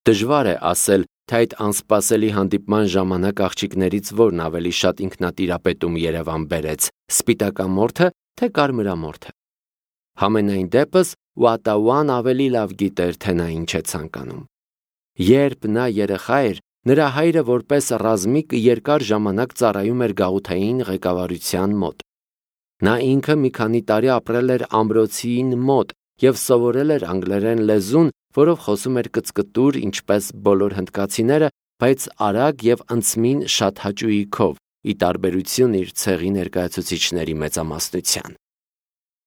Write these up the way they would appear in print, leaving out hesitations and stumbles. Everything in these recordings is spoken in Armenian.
Դժվար է ասել, թե այդ անսպասելի հանդիպման ժամանակ աղջիկներից որն ավելի շատ ինքնատիրապետում Երևան բերեց՝ սպիտակամորթը, թե կարմրամորթը։ Համենայն դեպս Ուատաուան ավելի լավ գիտեր, թե նա ինչ է ցանկանում։ Երբ նա երեխա էր, նրա հայրը որպես ռազմիկ երկար ժամանակ ծառայում էր գաղութային ղեկավարության մոտ։ Նա ինքը մի քանի տարի ապրել էր ամրոցին մոտ և սովորել էր անգլերեն լեզուն, որով խոսում էր կծկտուր, ինչպես բոլոր հնդկացիները, բայց արագ և ընծմին շատ հաճույքով, ի տարբերություն իր ցեղի ներկայացուցիչների մեծամասնության։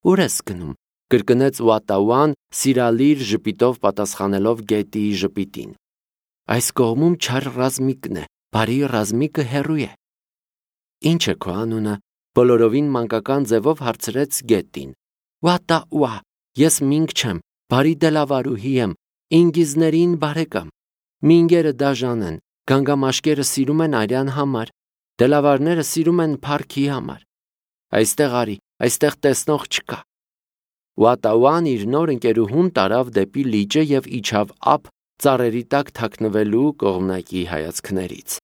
«Ուր ես գնում», կրկնեց Ուատաուան, սիրալիր ժպիտով պատասխանելով Գետիի ժպիտին։ «Այս կողմում չար ռազմիկն է, բարի ռազմիկը հեռու է»։ «Ինչ է քո անունը», բոլորովին մանկական ձևով հարցրեց Գետին։ «Ուատաուա, ես Մինգ չեմ, բարի դելավարուհի եմ, ինգիզներին բարեկամ։ Մինգերը դաժան են, գանգամաշկերը սիրում են արյան համար, դելավարները սիրում են փառքի համար։ Այստեղ արի, այստեղ տեսնող չկա»։ Ուատաուան իր նոր ընկերուհուն տարավ դեպի լիճը և իջավ ափ ծառերի տակ թաքնվելու կողմնակի հայացքներից։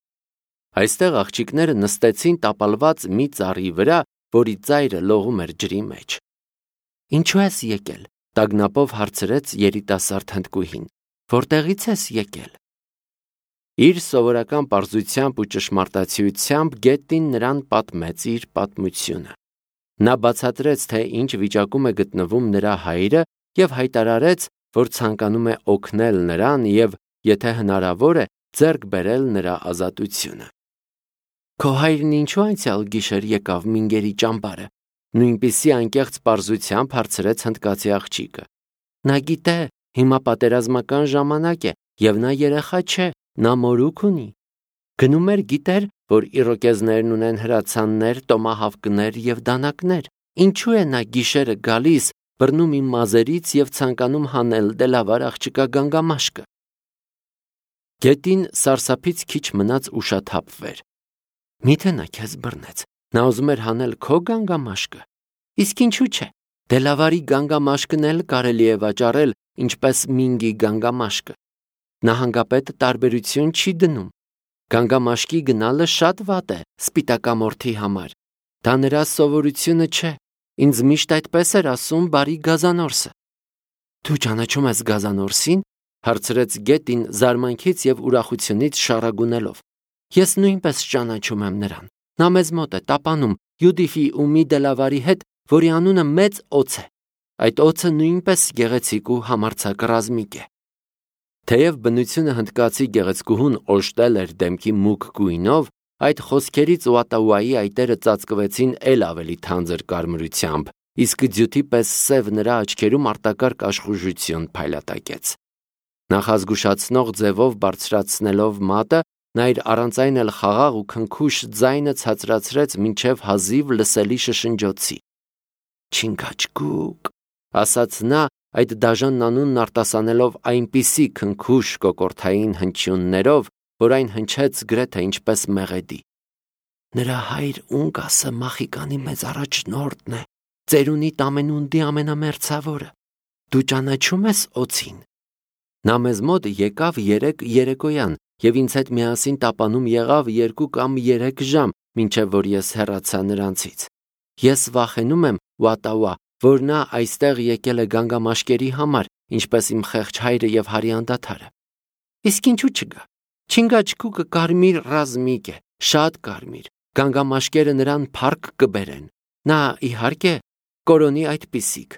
Այստեղ աղջիկները նստեցին տապալված մի ծառի վրա, որի ծայրը լողում էր ջրի մեջ։ «Ինչու ես եկել», տագնապով հարցրեց երիտասարդ հնդկուհին։ «Որտեղից ես եկել»։ Իր սովորական պարզությամբ ու ճշմարտացիությամբ Գետին նրան պատմեց իր պատմությունը։ Նա բացատրեց, թե ինչ վիճակում է գտնվում նրա հայրը և հայտարարեց, որ ցանկանում է օգնել նրան և, եթե հնարավոր է, ձեռք բերել նրա ազատությունը։ «Քո հայրն ինչու անցյալ գիշեր եկավ Մինգերի ճամբարը», նույնպիսի անկեղծ պարզությամբ հարցրեց հնդկացի աղջիկը։ «Նա գիտե, հիմա պատերազմական ժամանակ է, և նա երեխա չէ, նա մորուք ունի։ Գնում էր, գիտեր, որ իրոկեզներն ունեն հրացաններ, տոմահավկներ և դանակներ։ Ինչու է նա գիշերը գալիս, բռնում իմ մազերից և ցանկանում հանել դելավար աղջկա գանգամաշկը»։ Գետին սարսափից քիչ մնաց ուշաթափվեր։ «Միթե նա քեզ բռնեց, նա ուզում էր հանել քո գանգամաշկը։ Իսկ ինչու՞ չէ, դելավարի գանգամաշկն էլ կարելի է վաճառել, ինչպես Մինգի գանգամաշկը։ Նահանգապետը տարբերություն չի դնում։ Գանգամաշկի գնալը շատ վատ է սպիտակամորթի համար։ Դա նրա սովորությունը չէ։ Ինձ միշտ այդպես էր ասում բարի Գազանորսը»։ «Դու ճանաչում ես Գազանորսին», հարցրեց Գետին զարմանքից և ուրախությունից շառագունելով։ «Ես նույնպես ճանաչում եմ նրան։ Նա մեզ մոտ է տապանում Յուդիֆի ու մի դելավարի հետ, որի անունը Մեծ Օձ է։ Այդ օձը նույնպես գեղեցիկ ու համարձակ ռազմիկ է»։ Թեև բնությունը հնդկացի գեղեցկուհուն օժտել էր դեմքի մուգ գույնով, այդ խոսքերից Ուատաուայի այտերը ծածկվեցին էլ ավելի թանձր կարմրությամբ, իսկ ձյութի պես սև նրա աչքերում արտակարգ աշխուժություն փայլատակեց։ Նախազգուշացնող ձևով բարձրացնելով մատը, նա իր առանց այն էլ խաղաղ ու քնքուշ ձայնը ցածրացրեց մինչև հազիվ լսելի շշնջոցի։ «Չինգաչգուկ», ասաց նա, այդ դաժան անունն արտասանելով այնպիսի քնքուշ կոկորդային հնչյուններով, որ այն հնչեց գրեթե ինչպես մեղեդի։ «Նրա հայր Ունկասը Մախիկանի մեծ առաջնորդն է, ծերունիդ ամենունդի ամենամերձավորը։ Դու ճանաչում ես Օձին։ Նա մեզ մոտ եկավ երեկոյան և ինձ հետ միասին տապանում եղավ 2 կամ 3 ժամ, մինչև որ ես հեռացա նրանցից։ Ես վախենում եմ, Ուատաուա, որ նա այստեղ եկել է գանգամաշկերի համար, ինչպես իմ խեղճ հայրը և հարի անդադարը։ Իսկ ինչու չգա։ Չինգաչգուկը կարմիր ռազմիկ է, շատ կարմիր, գանգամաշկերը նրան փառք կբերեն։ Նա, իհարկե, կորոնի այդպիսիք»։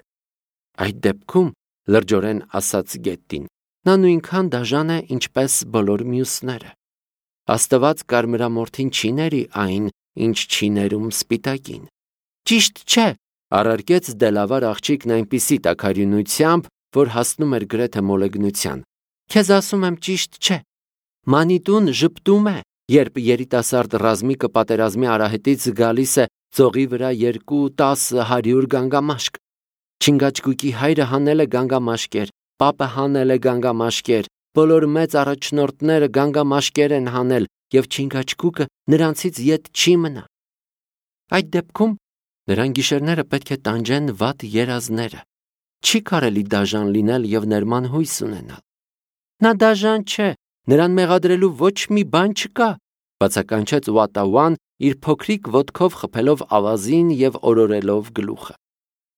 «Այդ դեպքում», լրջորեն ասաց Գետին, «նա նույնքան դաժան է, ինչպես բոլոր մյուսները։ Աստված կարմրամորթին չի ների այն, ինչ չի ներում սպիտակին»։ «Ճիշտ չէ», առարկեց դելավար աղջիկն այնպիսի տաքարյունությամբ, որ հասնում էր գրեթե մոլեգնության։ «Քեզ ասում եմ ճիշտ չէ։ Մանիտուն ժպտում է, երբ երիտասարդ ռազմիկը պատերազմի արահետից գալիս է ծողի վրա 2-10-100 գանգամաշկ։ Չինգաչգուկի հայրը հանել է գանգամաշկեր, պապը հանել է գանգամաշկեր, բոլոր մեծ առաջնորդները գանգամաշկեր են հանել, և Չինգաչգուկը նրանցից ետ չի մնա։ Այդ դեպքում նրան գիշերները պետք է տանջեն վատ երազները։ Չի կարելի դաժան լինել և ներման հույս ունենալ»։ Նա դաժան չէ, նրան մեղադրելու ոչ մի բան չկա, բացականչեց Ուատաուան իր փոքրիկ ոտքով խփելով ավազին և օրորելով գլուխը։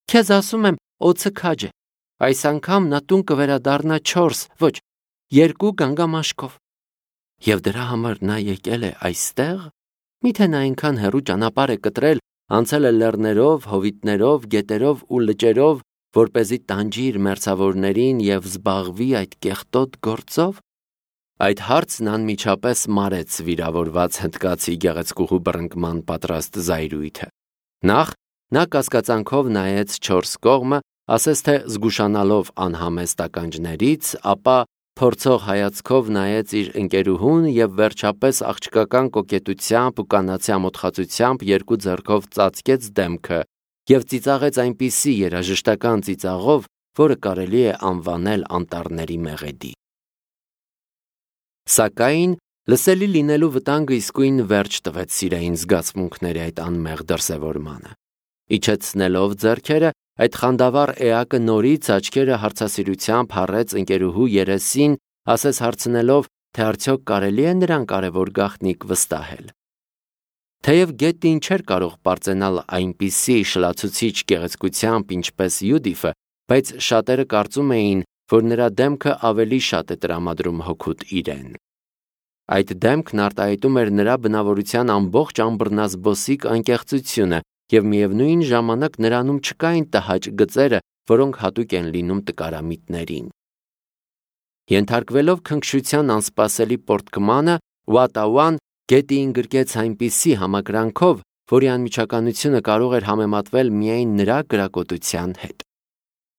Քեզ ասում եմ, օձը քաջ է, այս անգամ նա տուն կվերադառնա 4, ոչ, 2 գանգամաշկով։ Եվ դրա համար նա եկել է այստեղ։ Միթե նա այնքան հեռու ճանապարհ է կտրել, անցել է լեռներով, հովիտներով, գետերով ու լճերով, որպեսզի տանջի իր մերձավորներին և զբաղվի այդ կեղտոտ գործով։ Այդ հարցն անմիջապես մարեց վիրավորված հնդկացի գեղեցկուհու բռնկման պատրաստ զայրույթը։ Նախ նա կասկածանքով նայեց 4 կողմը, ասես թե զգուշանալով անհամեստ ականջներից, ապա փորձող հայացքով նայեց իր ընկերուհուն և վերջապես աղջկական կոկետությամբ ու կանացի ամոթխածությամբ 2 ձեռքով ծածկեց դեմքը և ծիծաղեց այնպիսի երաժշտական ծիծաղով, որը կարելի է անվանել անտառների մեղեդի։ Սակայն լսելի լինելու վտանգը իսկույն վերջ տվեց սիրային զգացմունքների այդ անմեղ դրսևորմանը։ Իջեցնելով ձեռքերը, այդ խանդավառ էակը նորից աչքերը հարցասիրությամբ հառեց ընկերուհու երեսին, ասես հարցնելով, թե արդյոք կարելի է նրան կարևոր գաղտնիք վստահել։ Թեև Գետին չէր կարող պարծենալ այնպիսի շլացուցիչ գեղեցկությամբ, ինչպես Յուդիֆը, բայց շատերը կարծում էին, որ նրա դեմքը ավելի շատ է տրամադրում հօգուտ իրեն։ Այդ դեմքն արտահայտում էր նրա բնավորության ամբողջ ամբռնազբոսիկ անկեղծությունը և միևնույն ժամանակ նրանում չկային տհաճ գծերը, որոնք հատուկ են լինում տկարամիտներին։ Ենթարկվելով քնքշության անսպասելի պոռթկմանը, Ուատաուան Գետիին գրկեց այնպիսի համակրանքով, որի անմիջականությունը կարող էր համեմատվել միայն նրա կրակոտության հետ։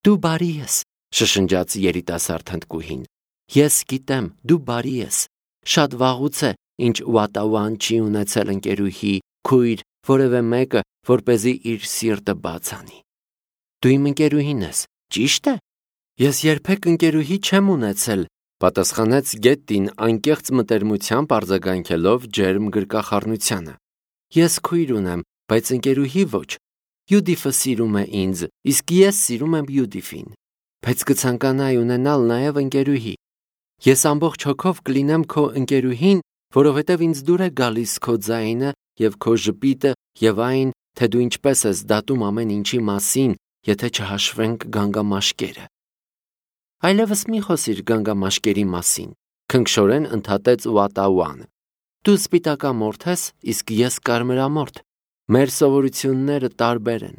Դու բարի ես, շշնջաց երիտասարդ հնդկուհին։ Ես գիտեմ, դու բարի ես։ Շատ վաղուց է, ինչ Ուատաուան չի ունեցել ընկերուհի, քույր, որևէ մեկը, որպեսզի իր սիրտը բաց անի։ Դու իմ ընկերուհին ես, ճի՞շտ է։ Ես երբեք ընկերուհի չեմ ունեցել, պատասխանեց Գետին անկեղծ մտերմությամբ արձագանքելով ջերմ գրկախառնությանը։ Ես քույր ունեմ, բայց ընկերուհի ոչ։ Յուդիֆը սիրում է ինձ, իսկ ես սիրում եմ Յուդիֆին։ Բայց կցանկանայի ունենալ նաև ընկերուհի։ Ես ամբողջ հոգով կլինեմ քո ընկերուհին, որովհետև ինձ դուր է գալիս քո ձայնը և քո ժպիտը և այն, թե դու ինչպես ես դատում ամեն ինչի մասին, եթե չհաշվենք գանգամաշկերը։ Այլևս մի խոսիր գանգամաշկերի մասին, քնքշորեն ընդհատեց Ուատաուան։ Դու սպիտակամորթ ես, իսկ ես կարմրամորթ։ Մեր սովորությունները տարբեր են։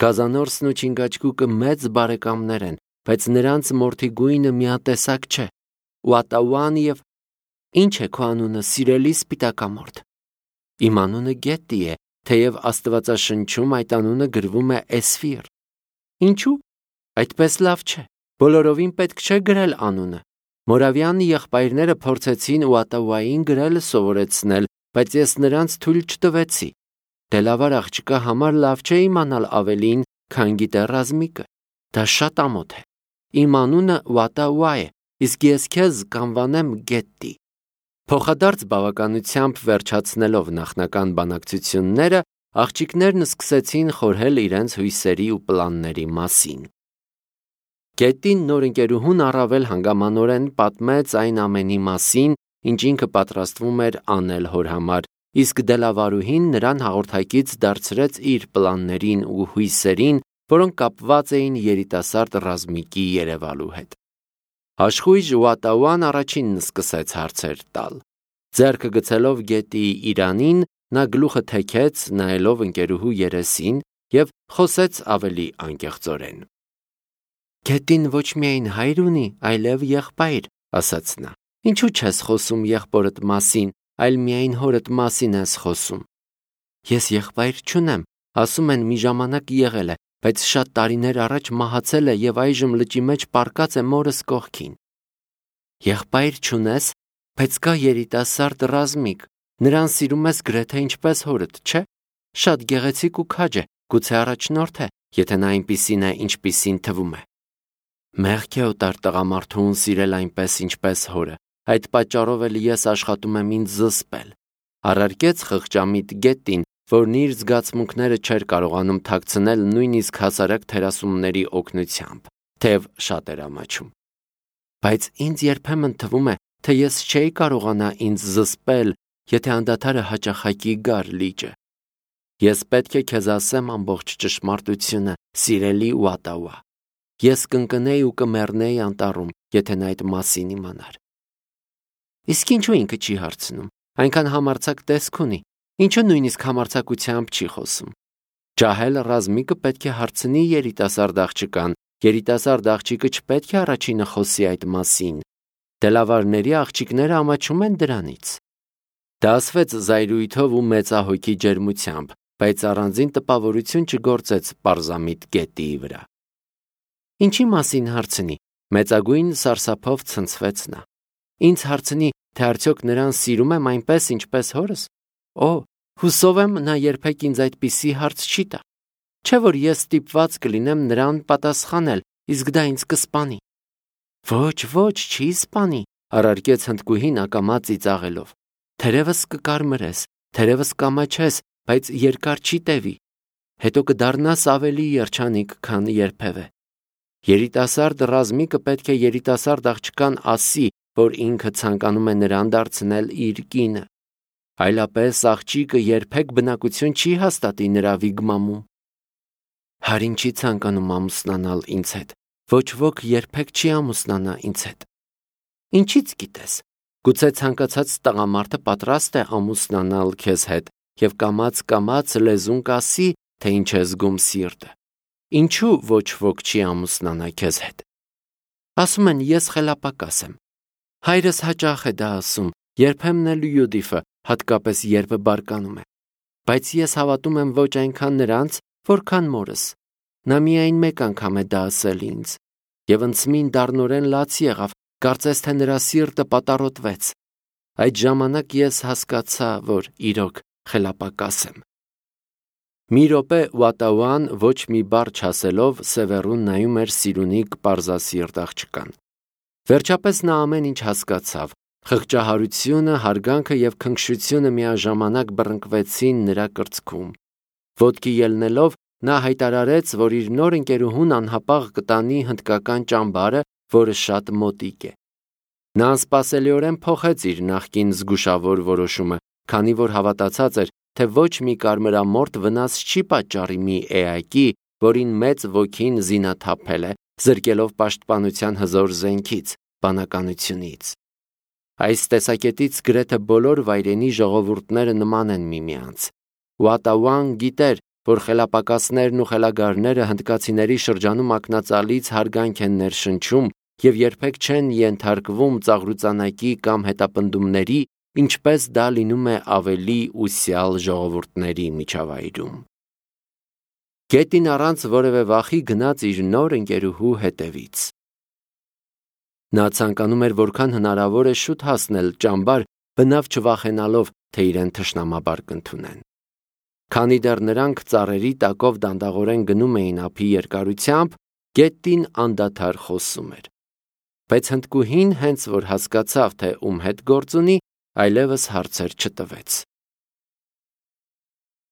Գազանորսն ու չինգաչգուկը մեծ բարեկամներ են, բայց նրանց մորթի գույնը միատեսակ չէ։ Ուատաուան և ինչ է քո անունը, սիրելի սպիտակամորթ։ Իմ անունը Գետի է, թեև Աստվածաշնչում այդ անունը գրվում է Էսֆիր։ Ինչու՞։ Այդպես լավ չէ։ Բոլորովին պետք չէ գրել անունը։ Մորավյան եղբայրները փորձեցին Ուատաուային գրելը սովորեցնել, բայց ես նրանց թույլ չտվեցի։ Դե լավ աղջկա համար լավ չէ իմանալ ավելին, քան գիտե ռազմիկը։ Դա շատ ամոթ է։ Իմ անունը Ուատաուա է, իսկ ես քեզ կանվանեմ Գետի։ Փոխադարձ բավականությամբ վերջացնելով նախնական բանակցությունները, աղջիկներն սկսեցին խորհել իրենց հույսերի ու պլանների մասին։ Գետին նոր ընկերուհուն առավել հանգամանորեն պատմեց այն ամենի մասին, ինչ ինքը պատրաստվում էր անել հոր համար, իսկ դելավարուհին նրան հաղորդակից դարձրեց իր պլաններին ու հույսերին, որոնք կապված էին երիտասարդ ռազմիկի երևալու հետ։ Աշխույժ Ուատաուան առաջինն սկսեց հարցեր տալ։ Ձեռքը գցելով Գետիի իրանին, նա գլուխը թեքեց, նայելով ընկերուհու երեսին և խոսեց ավելի անկեղծորեն։ Գետին ոչ միայն հայր ունի, այլև եղբայր, ասաց նա։ Ինչու չես խոսում եղբորդ մասին, այլ միայն հորդ մասին ես խոսում։ Ես եղբայր չունեմ, ասում են մի ժամանակ եղել է, բայց շատ տարիներ առաջ մահացել է և այժմ լճի մեջ պառկած է մորս կողքին։ Եղբայր չունես, բայց կա երիտասարդ ռազմիկ, նրան սիրում ես գրեթե ինչպես հորդ, չէ՞։ Շատ գեղեցիկ ու քաջ է, գուցե առաջնորդ է, եթե նա այնպիսին է, ինչպիսին թվում է։ Մեղք է օտար տղամարդուն սիրել այնպես, ինչպես հորը, այդ պատճառով էլ ես աշխատում եմ ինձ զսպել, առարկեց խղճամիտ Գետին, որն իր զգացմունքները չէր կարողանում թաքցնել նույնիսկ հասարակ թերասումների օգնությամբ, թեև շատ էր ամաչում։ բայց ինձ երբեմն թվում է, թե ես չէի կարողանա ինձ զսպել, եթե անդադարը հաճախակի գար լիճը։ Ես պետք է քեզ ասեմ ամբողջ ճշմարտությունը, սիրելի Ուատաուա։ Ես կընկնեի ու կմեռնեի անտառում, եթե նա այդ մասին իմանար։ Իսկ ինչու ինքը չի հարցնում, այնքան համարձակ տեսք ունի, ինչու նույնիսկ համարձակությամբ չի խոսում։ Ջահել Ռազմիկը պետք է հարցնի երիտասարդ աղջկան, երիտասարդ աղջիկը չպետք է առաջինը խոսի այդ մասին։ Դելավարների աղջիկները ամաչում են դրանից։ Դա ասվեց զայրույթով ու մեծահոգի ջերմությամբ, բայց առանձին տպավորություն չգործեց պարզամիտ գետիի վրա։ Ինչի մասին հարցնի, մեծագույն սարսափով ցնցվեց նա։ Ինձ հարցնի, թե արդյոք նրան սիրում եմ այնպես, ինչպես հորս։ Օ, հուսով եմ, նա երբեք ինձ այդպիսի հարց չի տա։ Չէ՞ որ ես ստիպված կլինեմ նրան պատասխանել, իսկ դա ինձ կսպանի։ Ոչ, չի սպանի, առարկեց հնդկուհին ակամա ծիծաղելով։ Թերևս կկարմրես, թերևս կամաչես, բայց երկար չի տևի։ Հետո կդառնաս ավելի երջանիկ, քան երբևէ։ Երիտասարդ Ռազմիկը պետք է երիտասարդ աղջկան ասի, որ ինքը ցանկանում է նրան դարձնել իր կինը։ Այլապես աղջիկը երբեք բնակություն չի հաստատի նրա վիգմամում։ Հարին չի ցանկանում ամուսնանալ ինձ հետ։ Ոչ ոք երբեք չի ամուսնանա ինձ հետ։ Ինչից գիտես։ Գուցե ցանկացած տղամարդը պատրաստ է ամուսնանալ քեզ հետ եւ կամաց լեզուն կասի, թե ինչ է զգում սիրտը։ Ինչու ոչ ոք չի ամուսնանա քեզ հետ։ Ասում են ես խելապակաս եմ։ Հայրս հաճախ է դա ասում, երբեմն էլ Յուդիֆը, հատկապես երբ բարկանում է։ Բայց ես հավատում եմ ոչ այնքան նրանց, որքան մորս։ Նա միայն մեկ անգամ է դա ասել ինձ։ Եվ ընծմին դառնորեն լաց եղավ, կարծես թե նրա սիրտը պատառոտվեց։ Այդ ժամանակ ես հասկացա, որ իրոք խելապակաս եմ։ Մի րոպե Ուատաուան ոչ մի բառ չասելով Սևեռուն նայում էր սիրունիկ պարզասիրտ աղջկան։ Վերջապես նա ամեն ինչ հասկացավ։ Խղճահարությունը, հարգանքը եւ քնքշությունը միաժամանակ բռնկվեցին նրա կրծքում։ Ոտքի ելնելով նա հայտարարեց, որ իր նոր ընկերուհուն անհապաղ կտանի հնդկական ճամբարը, որը շատ մոտիկ է։ Նա անսպասելիորեն փոխեց իր նախկին զգուշավոր որոշումը, քանի որ հավատացած էր, թե ոչ մի կարմրամորթ վնաս չի պատճառի մի էակի, որին մեծ ոգին զինաթափել է, զրկելով պաշտպանության հզոր զենքից, բանականությունից։ Այս տեսակետից գրեթե բոլոր վայրենի ժողովուրդները նման են միմյանց։ Ուատաուան գիտեր, որ խելապակասներն ու խելագարները հնդկացիների շրջանում ակնածալից հարգանք են ներշնչում եւ երբեք չեն ենթարկվում ծաղրուծանակի կամ հետապնդումների, ինչպես դա լինում է ավելի ուսյալ ժողովուրդների միջավայրում։ Գետին առանց որևէ վախի գնաց իր նոր ընկերուհու հետևից։ Նա ցանկանում էր որքան հնարավոր է շուտ հասնել ճամբար, բնավ չվախենալով, թե իրեն թշնամաբար կընդունեն։ Քանի դեռ նրանք ծառերի տակով դանդաղորեն գնում էին ափի երկարությամբ, գետին անդադար խոսում էր։ Բայց հնդկուհին հենց որ հասկացավ, թե ում հետ գործ ունի, այլևս հարցեր չտվեց։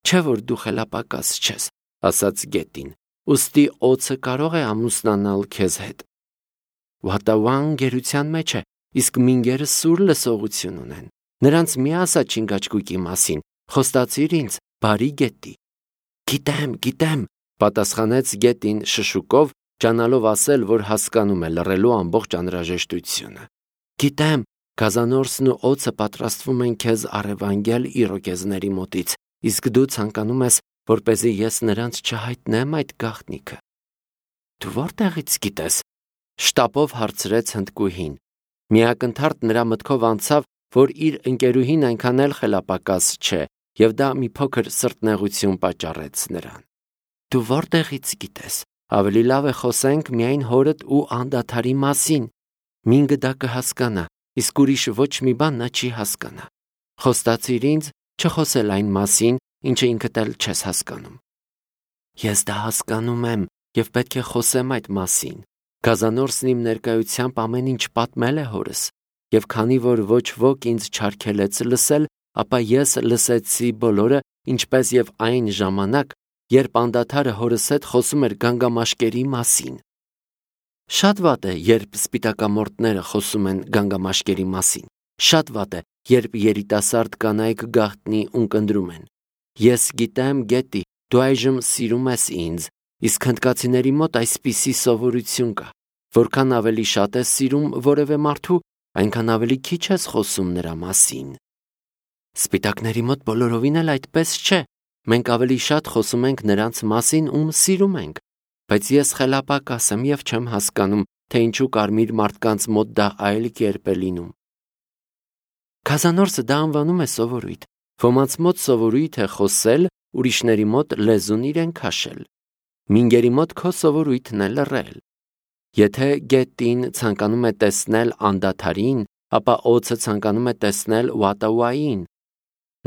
Չէ որ դու խելապակաս չես, ասաց գետին, ուստի օձը կարող է ամուսնանալ քեզ հետ։ Ուատաուան գերության մեջ է, իսկ մինգերը սուր լսողություն ունեն։ Նրանց մի ասա չինգաչկուկի մասին, խոստացիր ինձ, բարի գետի։ Գիտեմ, պատասխանեց գետին շշուկով, ճանալով ասել, որ հասկանում է լռելու ամբողջ անհրաժեշտությունը։ Գիտեմ, գազանորսն ու օձը պատրաստվում են քեզ առևանգել իրոկեզների մոտից, իսկ դու ցանկանում ես, որպեսզի ես նրանց չհայտնեմ այդ գաղտնիքը։ Դու որտեղից գիտես։ Շտապով հարցրեց հնդկուհին։ Միակնթարթ նրա մտքով անցավ, որ իր ընկերուհին այնքան էլ խելապակաս չէ, եւ դա մի փոքր սրտնեղություն պատճառեց նրան։ Դու որտեղից գիտես։ Ավելի լավ է խոսենք միայն հորդ ու անդադարի մասին։ Մինգը դա կհասկանա, իսկ ուրիշ ոչ մի բան նա չի հասկանա։ Խոստացիր ինձ չխոսել այն մասին, ինչը ինքդ էլ չես հասկանում։ Ես դա հասկանում եմ եւ պետք է խոսեմ այդ մասին։ Գազանորսն իմ ներկայությամբ ամեն ինչ պատմել է հորս, եւ քանի որ ոչ ոք ինձ չարգելեց լսել, ապա ես լսեցի բոլորը, ինչպես եւ այն ժամանակ, երբ անդադարը հորս հետ խոսում էր գանգամաշկերի մասին։ Շատ վատ է, երբ սպիտակամորտները խոսում են գանգամաշկերի մասին։ Շատ վատ է, երբ երիտասարդ կանայք գաղտնի ունկնդրում են։ Ես գիտեմ, Գետի, դու այժմ սիրում ես ինձ, իսկ հնդկացիների մոտ այսպիսի սովորություն կա։ Որքան ավելի շատ ես սիրում որևէ մարդու, այնքան ավելի քիչ ես խոսում նրա մասին։ Սպիտակների մոտ բոլորովին էլ այդպես չէ։ Մենք ավելի շատ խոսում ենք նրանց մասին, ում սիրում ենք, բայց ես խելապակաս եմ և չեմ հասկանում, թե ինչու կարմիր մարդկանց մոտ դա այլ կերպ է լինում։ Քազանորսը դա անվանում է սովորույթ։ Ոմանց մոտ սովորույթ է խոսել, ուրիշների մոտ լեզուն իրեն քաշել։ Մինգերի մոտ քո սովորույթն է լռել։ Եթե Գետին ցանկանում է տեսնել անդադարին, ապա օձը ցանկանում է տեսնել Ուատաուային։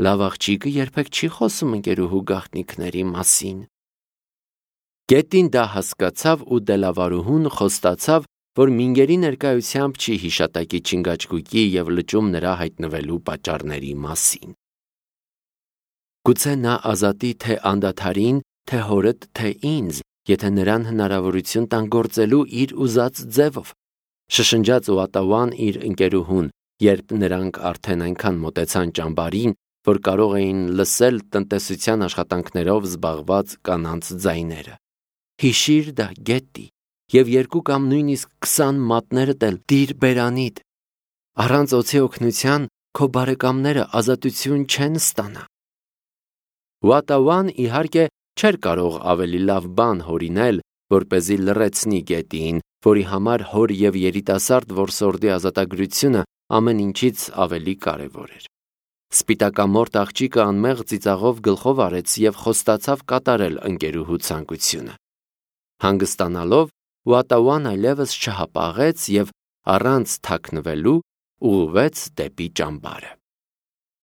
Լավ աղջիկը երբեք չի խոսում ընկերուհու գաղտնիքների մասին։ Գետին դա հասկացավ ու դելավարուհուն խոստացավ, որ Մինգերի ներկայությամբ չի հիշատակի չինգաչգուկի և լճում նրա հայտնվելու պատճառների մասին։ Գուցե նա ազատի թե անդադարին, թե հորդ, թե ինձ, եթե նրան հնարավորություն տան գործելու իր ուզած ձևով։ Շշնջաց Ուատաուան իր ընկերուհուն, երբ նրանք արդեն այնքան մոտեցան ճամբարին, որ կարող էին լսել տնտեսության աշխատանքներով զբաղված կանանց ձայները։ Հիշիր դա, Գետի, և 2 կամ նույնիսկ 20 մատներդ էլ դիր բերանիդ։ Առանց օձի օգնության քո բարեկամները ազատություն չեն ստանա։ Ուատաուան իհարկե չէր կարող ավելի լավ բան հորինել, որպեսզի լռեցնի Գետիին, որի համար հոր և երիտասարդ որսորդի ազատագրությունը ամեն ինչից ավելի կարևոր էր։ Սպիտակամորտ աղջիկը անմեղ ծիծաղով գլխով արեց և խոստացավ կատարել ընկերուհու ցանկությունը։ Հանգստանալով, Ուատաուան այլևս չհապաղեց և առանց թաքնվելու ուղղվեց դեպի ճամբարը։